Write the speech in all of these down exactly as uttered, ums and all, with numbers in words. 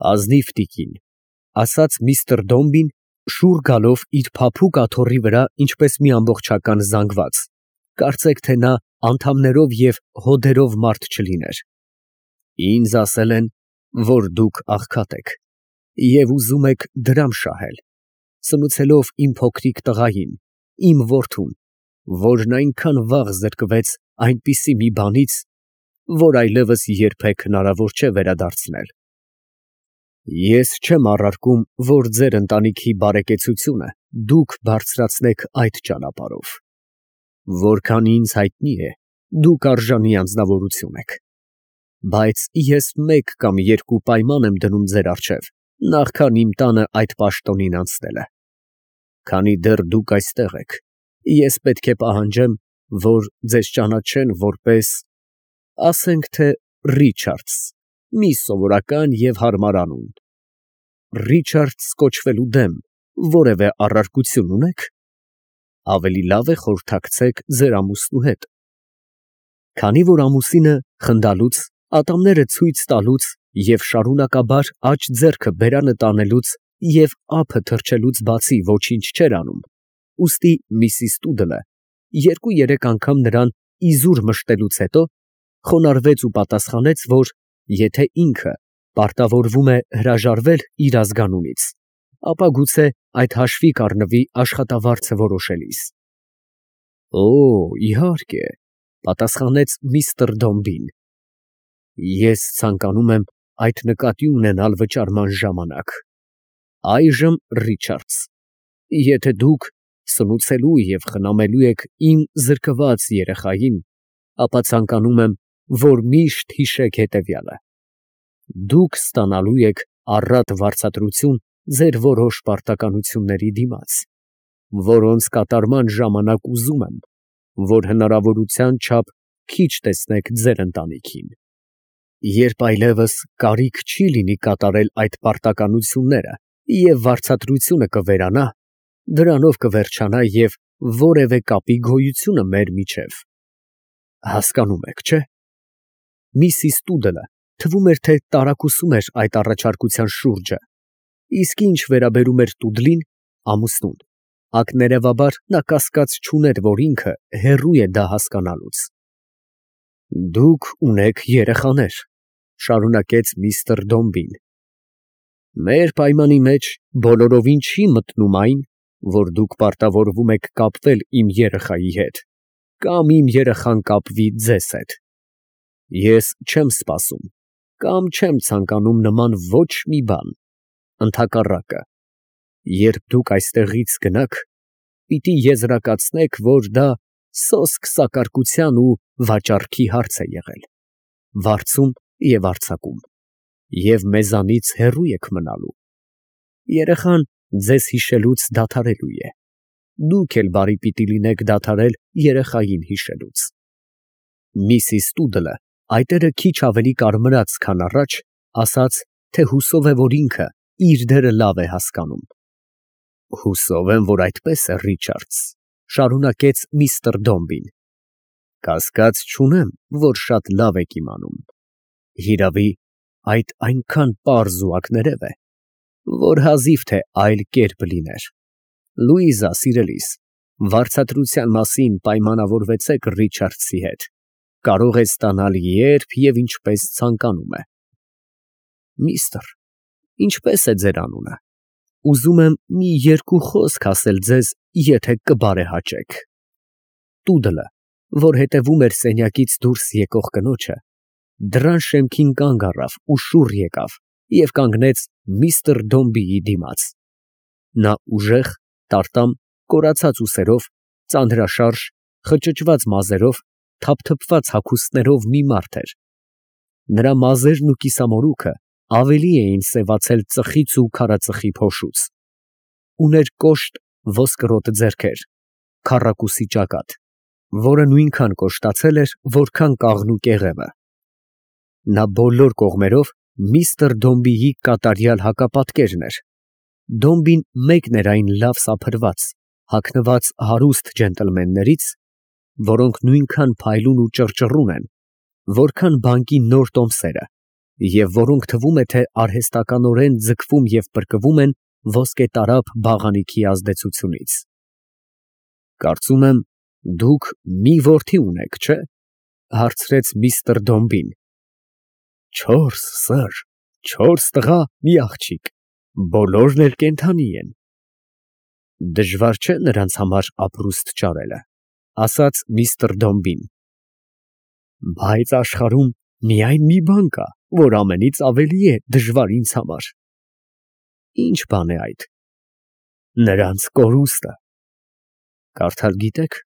Ազնիվ տիկին, ասաց միստր Դոմբին, շուռ գալով իր փափուկ աթոռի վրա, ինչպես մի ամբողջական զանգված, կարծեք թե նա անդամներով և հոդերով մարդ չլիներ. ինձ ասել են, որ դուք աղքատ եք և ուզում եք դրամ շահել, սնուցելով իմ փոքրիկ տղային, իմ որդուն, որն այնքան վաղ զրկվեց այնպիսի մի բանից, որ այլևս երբեք հնարավոր չէ վերադարձնել։ Ես չեմ առարկում, որ ձեր ընտանիքի բարեկեցությունը դուք բարձրացնեք այդ ճանապարհով։ Որքան ինձ հայտնի է, դուք արժանի անձնավորություն եք, բայց ես մեկ կամ երկու պայման եմ դնում ձեր առջև, նախքան իմ տանը այդ պաշտոնին անցնելը։ Քանի դեռ դուք այստեղ եք, ես պետք է պահանջեմ, որ ձեզ ճանաչեն որպես, ասենք թե Ռիչարդս, մի սովորական և հարմար անուն։ Ռիչարդս կոչվելու դեմ որևէ առարկություն ունե՞ք։ Ավելի լավ է խորհրդակցեք ձեր ամուսնու հետ։ Քանի որ ամուսինը խնդալուց, ատամները ցույց տալուց և շարունակաբար աջ ձեռքը բերանը տանելուց և ափը թռչելուց բացի ոչինչ չէր անում, ուստի միսիս Տուդլը երկու֊երեք անգամ նրան իզուր մշտելուց հետո խոնարհվեց ու պատասխանեց, որ եթե ինքը պարտավորվում է հրաժարվել իր ազգանունից, ապա գուցե այդ հաշվի կառնվի աշխատավարձը որոշելիս։ Օ, իհարկե, պատասխանեց միստր Դոմբին, ես ցանկանում եմ այդ նկատի ունենալ վճարման ժամանակ։ Այժմ Ռիչարդս, եթե դուք սնուցելու և խնամելու եք իմ զրկված երեխային, ապա ցանկանում եմ, որ միշտ հիշեք հետևյալը. դուք ստանալու եք առատ վարձատրություն ձեր որոշ պարտականությունների դիմաց, որոնց կատարման ժամանակ ուզում եմ, որ հնարավորության չափ քիչ տեսնեք ձեր ընտանիքին։ Երբ այլևս կարիք չի լինի կատարել այդ պարտականությունները և վարձատրությունը կվերանա, դրանով կվերջանա և որևէ կապի գոյությունը մեր միջև։ Հասկանում եք, չէ՞։ Միսիս Տուդլը թվում էր, թե տարակուսում էր այդ առաջարկության շուրջը, իսկ ինչ վերաբերում էր Տուդլին, ամուսնուն, ակներևաբար նա կասկած չուներ, որ ինքը հեռու է դա հասկանալուց։ Դուք ունեք երեխաներ, շարունակեց միստր Դոմբին։ Մեր պայմանի մեջ բոլորովին չի մտնում այն, որ դուք պարտավորվում եք կապվել իմ երեխայի հետ, կամ իմ երեխան կապվի ձեզ հետ։ Ես չեմ սպասում, կամ չեմ ցանկանում նման ոչ մի բան, ընդհակառակը, երբ դուք այստեղից գնաք, պիտի եզրակացնեք, որ դա սոսկ սակարկության ու վաճառքի հարց է եղել, վարձում և արձակում, և մեզանից հեռու եք մնալու։ Երեխան ձեզ հիշելուց դադարելու է, դուք էլ բարի պիտի լինեք դադարել երեխային հիշելուց։ Միսիս Տուդլը այտերը քիչ ավելի կարմրած, քան առաջ, ասաց, թե հուսով է, որ ինքը իր դերը լավ է հասկանում։ Հուսով եմ, որ այդպես է, Ռիչարդս, շարունակեց միստր Դոմբին։ Կասկած չունեմ, որ շատ լավ եք իմանում։ Հիրավի, այդ այնքան պարզ ու ակներև է, որ հազիվ թե այլ կերպ լիներ։ Լուիզա, սիրելիս, վարձատրության մասին պայմանավորվեցեք Ռիչարդսի հետ, կարող է ստանալ երբ և ինչպես ցանկանում է։ Միստր, ինչպե՞ս է ձեր անունը։ Ուզում եմ մի երկու խոսք ասել ձեզ, եթե կբարեհաճեք։ Տուդլը, որ հետևում էր սենյակից դուրս եկող կնոջը, դռան շեմքին կանգ առավ ու շուռ եկավ և կանգնեց միստր Դոմբիի դիմաց։ Նա ուժեղ, տարտամ, կորացած ուսերով, ծանրաշարժ, խճճված մազերով, թափթփված հագուստներով մի մարդ էր։ Նրա մազերն ու կիսամորուքը ավելի էին սևացել ծխից ու քարածխի փոշուց։ Ուներ կոշտ ոսկրոտ ձեռքեր, քառակուսի ճակատ, որը նույնքան կոշտացել էր, որքան կաղնու կեղևը։ Նա բոլոր կողմերով միստր Դոմբիի կատարյալ հակապատկերն էր։ Դոմբին մեկն էր այն լավ սափրված, հագնված հարուստ ջենտլմեններից, որոնք նույնքան փայլուն ու ճռճռուն են, որքան բանկի նոր տոմսերը, և որոնք թվում է, թե արհեստականորեն ձգվում և պրկվում են ոսկետարափ բաղանիքի ազդեցությունից։ Կարծում եմ, դուք մի որդի ունեք, չէ՞, հարցրեց միստր Դոմբին։ Չորս, սըր, չորս տղա, մի աղջիկ, բոլորն էլ կենդանի են։ Դժվար չէ նրանց համար ապրուստ ճարելը, ասաց միստր Դոմբին։ Բայց աշխարհում միայն մի բան կա, որ ամենից ավելի է դժվար ինձ համար։ Ի՞նչ բան է այդ։ Նրանց կորուստը։ Կարդալ գիտեք,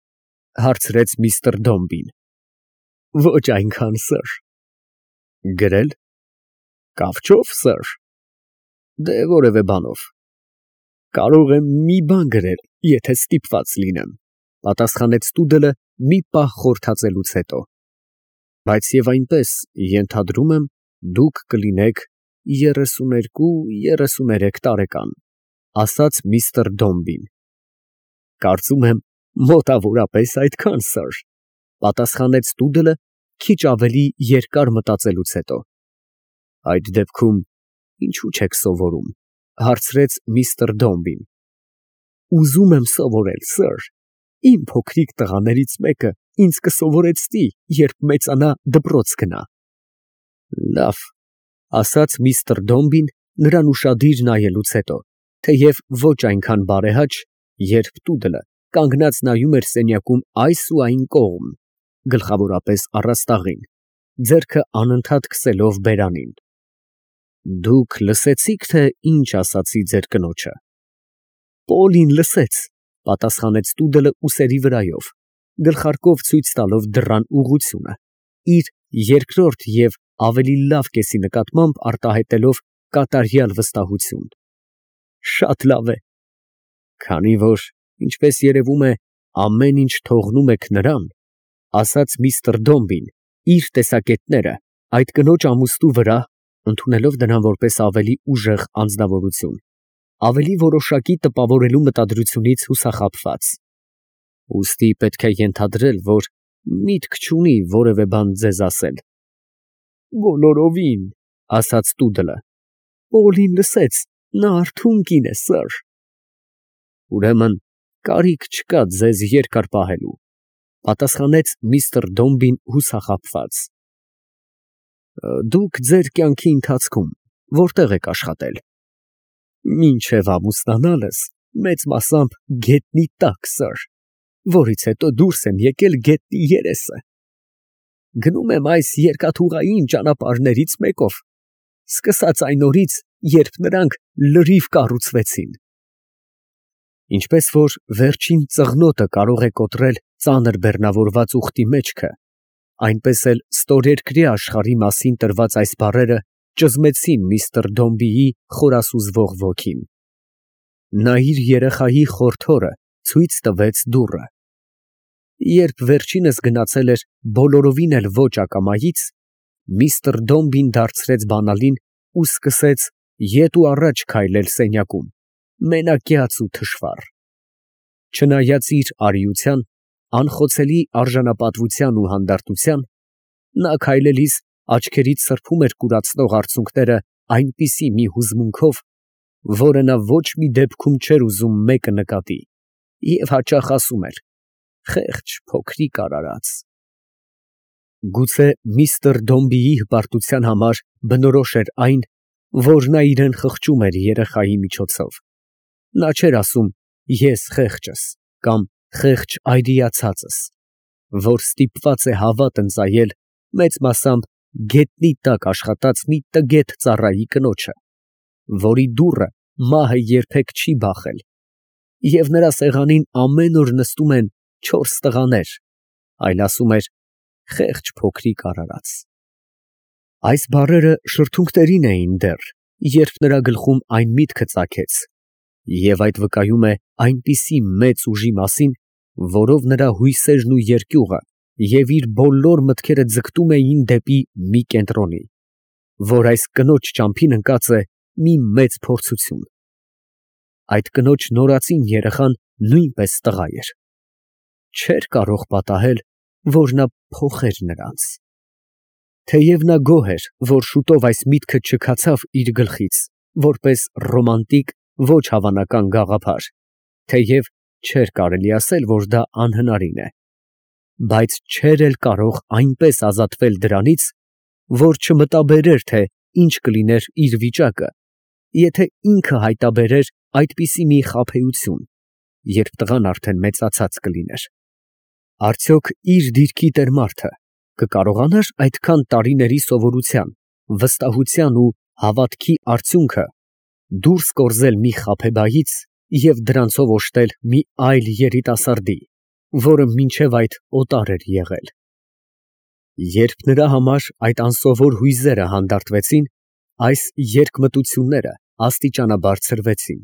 հարցրեց միստր Դոմբին։ Ոչ այնքան, սըր։ Գրել։ Կավճով, սըր։ Դե որևէ բանով։ Կարող եմ մի բան գրել, եթե ստիպված լինեմ, պատասխանեց տուդելը մի պահ խորհրդածելուց հետո։ Բայց և այնպես, ենթադրում եմ, դուք կլինեք երեսուներկու, երեսուներեք տարեկան, ասաց միստր Դոմբին։ Կարծում եմ, մոտավորապես այդքան, սըր, պատասխանեց տուդելը քիչ ավելի երկար մտածելուց հետո։ Այդ դեպքում ինչու չեք սովորում, հարցրեց միստր Դոմբին։ Ուզում եմ սովորել, սըր, իմ փոքրիկ տղաներից մեկը ինձ կսովորեցնի, երբ մեծանա, դպրոց գնա։ Լավ, ասաց միստր Դոմբին նրան ուշադիր նայելուց հետո, թեև ոչ այնքան բարեհաճ, երբ տուդելը կանգնած նայում էր սենյակում այս ու այն կողմ, գլխավորապես առաստաղին, ձեռքը անընդհատ քսելով բերանին։ Դուք լսեցի՞ք, թե ինչ ասացի ձեր կնոջը։ Պոլին լսեց, պատասխանեց տուդելը ուսերի վրայով, գլխարկով ցույց տալով դռան ուղղությունը, իր երկրորդ և ավելի լավ կեսի նկատմամբ արտահայտելով կատարյալ վստահություն։ Շատ լավ է։ Քանի որ, ինչպես երևում է, ամեն ինչ թողնում եք նրան, ասաց միստր Դոմբին, իր տեսակետները այդ կնոջ ամուսնու վրա, ընդունելով նրան որպես ավելի ուժեղ անձնավորություն, ավելի որոշակի տպավորելու մտադրությունից հուսախաբված։ Ուստի պետք է ենթադրել, որ միտք չունի որևէ բան ձեզ ասել։ Բոլորովին, ասաց տուդելը։ Պոլին լսեց, նա արթուն կին է, սըր։ Ուրեմն կարիք չկա ձեզ երկար պահելու, պատասխանեց միստր Դոմբին հուսախաբված։ Դուք ձեր կյանքի ընթացքում որտե՞ղ եք աշխատել։ Մինչև ամուսնանալս մեծ մասամբ գետնի տակ, սըր, որից հետո դուրս եմ եկել գետնի երեսը։ Գնում եմ այս երկաթուղային ճանապարհներից մեկով, սկսած այն օրից, երբ նրանք լրիվ կառուցվեցին։ Ինչպես որ վերջին ծղնոտը կարող է կոտրել ծանր բեռնավորված ուղտի մեջքը, այնպես էլ ստորերկրյա աշխարհի մասին տրված այս բառերը ճզմեցին միստր Դոմբիի խորասուզվող ոգին։ Նա իր երեխայի խորթ հորը ցույց տվեց դուռը։ Երբ վերջինս գնացել էր բոլորովին էլ ոչ ակամայից, միստր Դոմբին դարձրեց բանալին ու սկսեց ետ ու առաջ քայլել սենյակում, մենակյաց ու թշվառ։ Չնայած իր արիության, անխոցելի արժանապատվության ու հանդարտության, նա քայլելիս աչքերից սրբում էր կուրացնող արցունքները այնպիսի մի հուզմունքով, որը նա ոչ մի դեպքում չէր ուզում մեկը նկատի, և հաճախ ասում էր. «Խեղճ փոքրիկ արարած»։ Գուցե միստր Դոմբիի հպարտության համար բնորոշ էր այն, որ նա իրան խղճում էր երեխայի միջոցով։ Նա չէր ասում «ես խեղճս» կամ «խեղճ այրիացածս», որ ստիպված է հավատ ընծայել մեծ մասամբ գետնի տակ աշխատած մի տգետ ծառայի կնոջը, որի դուռը մահը երբեք չի բախել, և նրա սեղանին ամեն օր նստում են չորս տղաներ, այլ ասում էր «խեղճ փոքրիկ արարած»։ Այս բառերը շրթունքներին էին դեռ, երբ նրա գլխում այն միտքը ծագեց, և այդ վկայում է այնպիսի մեծ ուժի մասին, որով նրա հույսերն ու երկյուղը և իր բոլոր մտքերը ձգտում էին դեպի մի կենտրոնի, որ այս կնոջ ճամփին ընկած է մի մեծ փորձություն։ Այդ կնոջ նորածին երեխան նույնպես տղա էր։ Չէր կարող պատահել, որ նա փոխեր նրանց։ Թեև նա գոհ էր, որ շուտով այս միտքը չքացավ իր գլխից, որպես ռոմանտիկ, ոչ հավանական գաղափար, թեև չէր կարելի ասել, որ դա անհնարին է, բայց չէր էլ կարող այնպես ազատվել դրանից, որ չմտաբերեր, թե ինչ կլիներ իր վիճակը, եթե ինքը հայտաբերեր այդպիսի մի խաբեություն, երբ տղան արդեն մեծացած կլիներ. արդյոք իր դիրքի տեր մարդը կկարողանա՞ր այդքան տարիների սովորության, վստահության ու հավատքի արդյունքը դուրս կորզել մի խաբեբայից և դրանցով օժտել մի այլ երիտասարդի, որը մինչև այդ օտար էր եղել։ Երբ նրա համար այդ անսովոր հույզերը հանդարտվեցին, այս երկմտությունները աստիճանաբար ցրվեցին,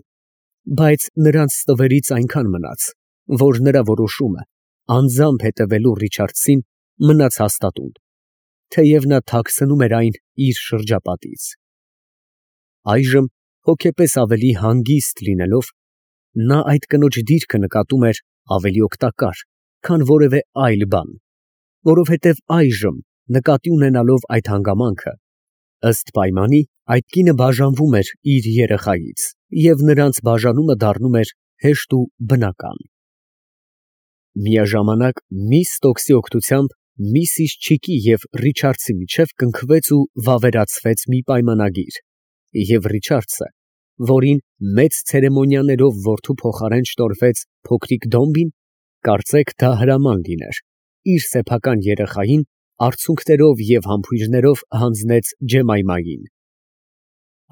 բայց նրանց ստվերից այնքան մնաց, որ նրա որոշումը անձամբ հետևելու Ռիչարդսին մնաց հաստատուն, թեև նա թաքցնում էր այն իր շրջապատից։ Այժմ հոգեպես ավելի հանգիստ լինելով, նա այդ կնոջ դիրքը նկատում էր ավելի օգտակար, քան որևէ այլ բան, որովհետև այժմ, նկատի ունենալով այդ հանգամանքը, ըստ պայմանի, այդ կինը բաժանվում էր իր երեխայից, և նրանց բաժանումը դառնում էր հեշտ ու բնական։ Միաժամանակ միս Ստոքսի օգնությամբ միսիս Չիկի և Ռիչարդսի միջև կնքվեց ու վավերացվեց մի պայմանագիր, և Ռիչարդսը, որին մեծ ցերեմոնիաներով որդու փոխարեն շնորհվեց փոքրիկ Դոմբին, կարծեք դա հրաման լիներ, իր սեփական երեխային արցունքներով և համբույրներով հանձնեց Ջեմայմային։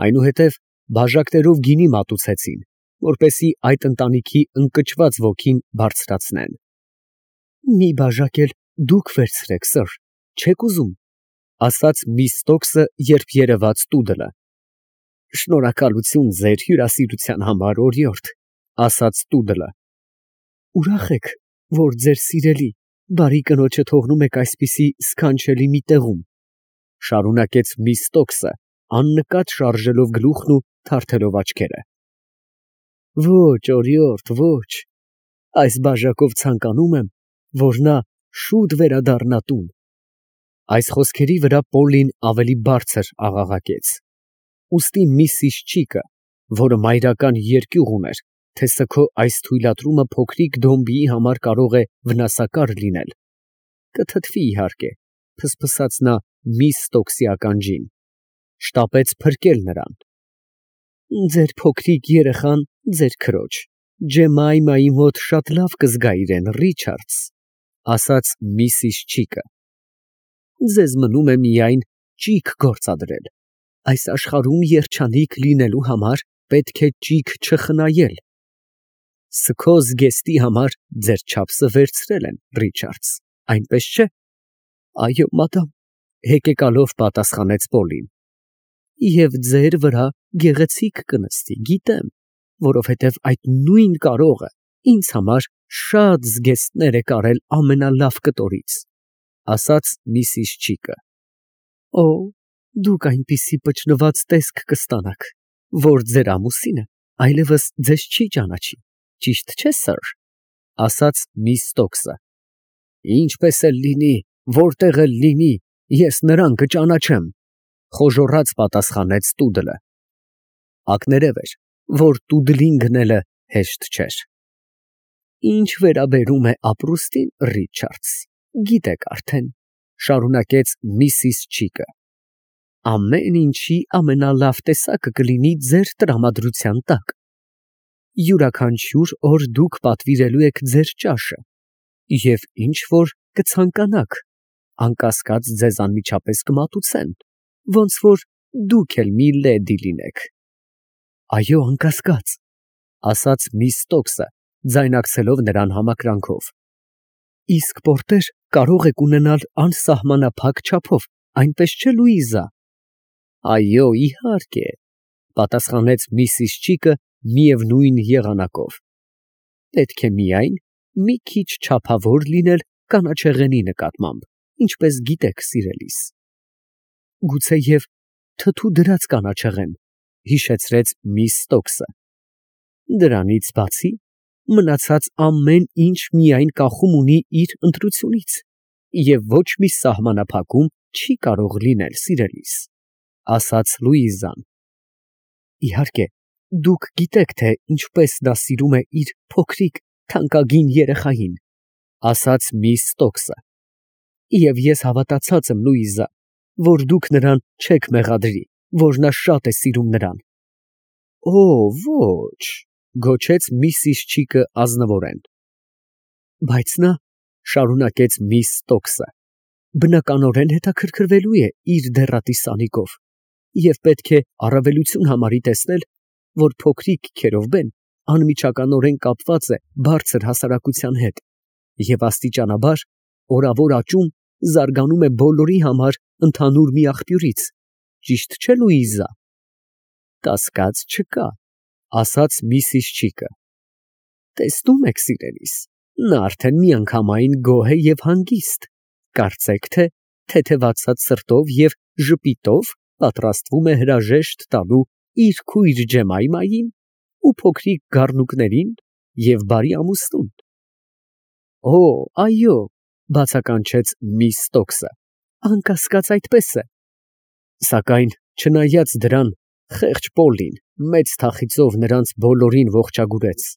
Այնուհետև բաժակներով գինի մատուցեցին, որպեսզի այդ ընտանիքի ընկճված ոգին բարձրացնեն։ «Մի բաժակ էլ դուք վերցրեք, սըր, չե՞ք ուզում», ֊ ասաց միս Ստոքսը, երբ երևաց տուդլը։ ֊ Շնորհակալություն ձեր հյուրասիրության համար, օրիորդ, ֊ ասաց տուդլը։ ֊ Ուրախ եք, որ ձեր սիրելի, բարի կնոջը թողնում եք այսպիսի սքանչելի մի տեղում, ֊ շարունակեց միս Ստոքսը, աննկատ շարժելով գլուխն ու թարթելով աչքերը։ ֊ Ոչ, օրիորդ, ոչ, այս բաժակով ցանկանում եմ, որ նա շուտ վերադառնա տուն։ Այս խոսքերի վրա Պոլլին ավելի բարձր աղաղակեց։ Ուստի միսիս Չիկը, որը մայրական երկյուղ ուներ, թե սգո այս թույլատրումը փոքրիկ Դոմբիի համար կարող է վնասակար լինել, կթթվի իհարկե, փսփսաց նա միս Ստոքսի ականջին, շտապեց փրկել նրան։ Ձեր փոքրիկ երեխան ձեր քրոջ, Ջեմայմայի մոտ շատ լավ կզգա իրեն, Ռիչարդս, ֊ ասաց միսիս Չիկը։ Ձեզ մնում է միայն ճիգ գործադրել, այս աշխարհում երջանիկ լինելու համար պետք է ճիգ չխնայել։ Սգո զգեստի համար ձեր չափսը վերցրել են, Ռիչարդս, այնպես չէ։ Այո, մադամ, հեկեկալով պատասխանեց Պոլին։ Եվ ձեր վրա գեղեցիկ կնստի, գիտեմ, որովհետև այդ նույն կարողը ինձ համար շատ զգեստներ է կարել ամենալավ կտորից, ֊ ասաց միսիս Չիկը։ Օ, դուք այնպիսի պճնված տեսք կստանաք, որ ձեր ամուսինը այլևս ձեզ չի ճանաչի, ճիշտ չէ, սըր, ֊ ասաց միս Ստոքսը։ Ինչպես էլ լինի, որտեղ էլ լինի, ես նրան կճանաչեմ, ֊ խոժոռաց պատասխանեց տուդլը։ Ակներև էր, որ տուդլին գնելը հեշտ չէր։ Ինչ վերաբերում է ապրուստին, Ռիչարդս, գիտեք արդեն, ֊ շարունակեց միսիս Չիկը, ամեն ինչի ամենալավ տեսակը կլինի ձեր տրամադրության տակ։ Յուրաքանչյուր օր դուք պատվիրելու եք ձեր ճաշը, և ինչ որ կցանկանաք, անկասկած ձեզ անմիջապես կմատուցեն, ոնց որ դուք էլ մի լեդի լինեք։ Այո, անկասկած, ֊ ասաց միս Ստոքսը, ձայնակցելով նրան համակրանքով։ Իսկ պորտեր կարող եք ունենալ անսահմանափակ չափով, այնպես չէ, Լուիզա։ Այո, իհարկե, ֊ պատասխանեց միսիս Չիկը միևնույն եղանակով։ Պետք է միայն մի քիչ չափավոր լինել կանաչեղենի նկատմամբ, ինչպես գիտեք, սիրելիս։ Գուցեև թթու դրած կանաչեղեն, ֊ հիշեցրեց միս Ստոքսը։ Դրանից բացի, մնացած ամեն ինչ միայն կախում ունի իր ընտրությունից, և ոչ մի սահմանափակում չի կարող լինել, սիրելիս, ասաց Լուիզան։ Իհարկե, դուք գիտեք, թե ինչպես նա սիրում է իր փոքրիկ թանկագին երեխային, ասաց միս Ստոքսը։ Եվ ես հավատացած եմ, Լուիզա, որ դուք նրան չեք մեղադրի, որ նա շատ է սիրում նրան։ Օ, ոչ, գոչեց միսիս Չիկը ազնվորեն։ Բայց նա, շարունակեց միս Ստոքսը, բնականորեն հետաքրքրվելու է իր դեռատի Սանիկով և պետք է առավելություն համարի տեսնել, որ փոքրիկ Քերովբեն անմիջականորեն կապված է բարձր հասարակության հետ և աստիճանաբար օրավոր աճում զարգանում է բոլորի համար ընդհանուր մի աղբյուրից, ճիշտ չէ՞ Լուիզա։ Կասկած չկա, ասաց միսիս Չիկը։ Տեսնում եք, սիրելիս, նա արդեն միանգամայն գոհ է և հանգիստ, կարծեք թե թեթևացած սրտով և ժպիտով պատրաստվում է հրաժեշտ տալու իր քույր Ջեմայմային ու փոքրիկ գառնուկներին և բարի ամուսնուն։ Օ, այո, բացականչեց միս Ստոքսը, անկասկած այդպես է։ Սակայն չնայած դրան, խեղճ Պոլլին մեծ թախիծով նրանց բոլորին ողջագուրեց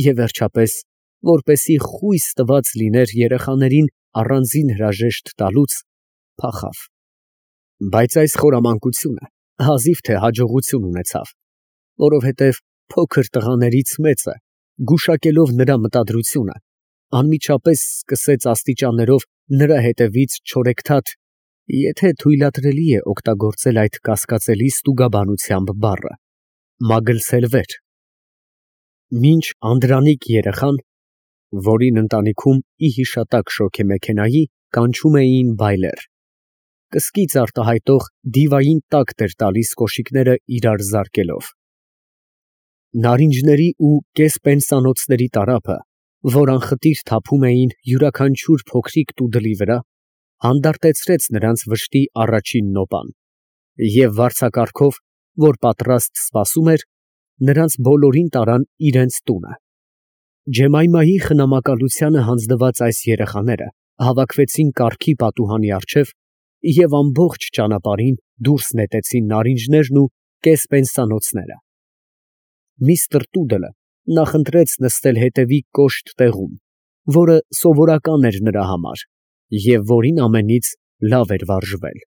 և վերջապես, որպեսզի խույս տված լիներ երեխաներին առանձին հրաժեշտ տալուց, փախավ։ Բայց այս խորամանկությունը հազիվ թե հաջողություն ունեցավ, որովհետև փոքր տղաներից մեծը, գուշակելով նրա մտադրությունը, անմիջապես սկսեց աստիճաններով նրա հետևից չորեքթաթ, եթե թույլատրելի է օգտագործել այդ կասկածելի ստուգաբանությամբ բառը, մագլցել վեր, մինչ անդրանիկ երեխան, որին ընտանիքում ի հիշատակ շոգեմեքենայի կանչում էին բայլեր, կսկիծ արտահայտող դիվային տակտ էր տալիս կոշիկները իրար զարկելով։ Նարինջների ու կեսպենսանոցների տարափը, որ անխտիր թափում էին յուրաքանչյուր փոքրիկ տուդլի վրա, հանդարտեցրեց նրանց վշտի առաջին նոպան, և վարձակարգով, որ պատրաստ սպասում էր, նրանց բոլորին տարան իրենց տունը։ Ջեմայմայի խնամակալությանը հանձնված այս երեխաները հավաքվեցին կառքի պատուհանի առջև և ամբողջ ճանապարհին դուրս նետեցին նարինջներն ու կեսպենսանոցները։ Միսթր Տուդլը նախընտրեց նստել հետևի կոշտ տեղում, որը սովորական էր նրա համար և որին ամենից լավ էր վարժվել։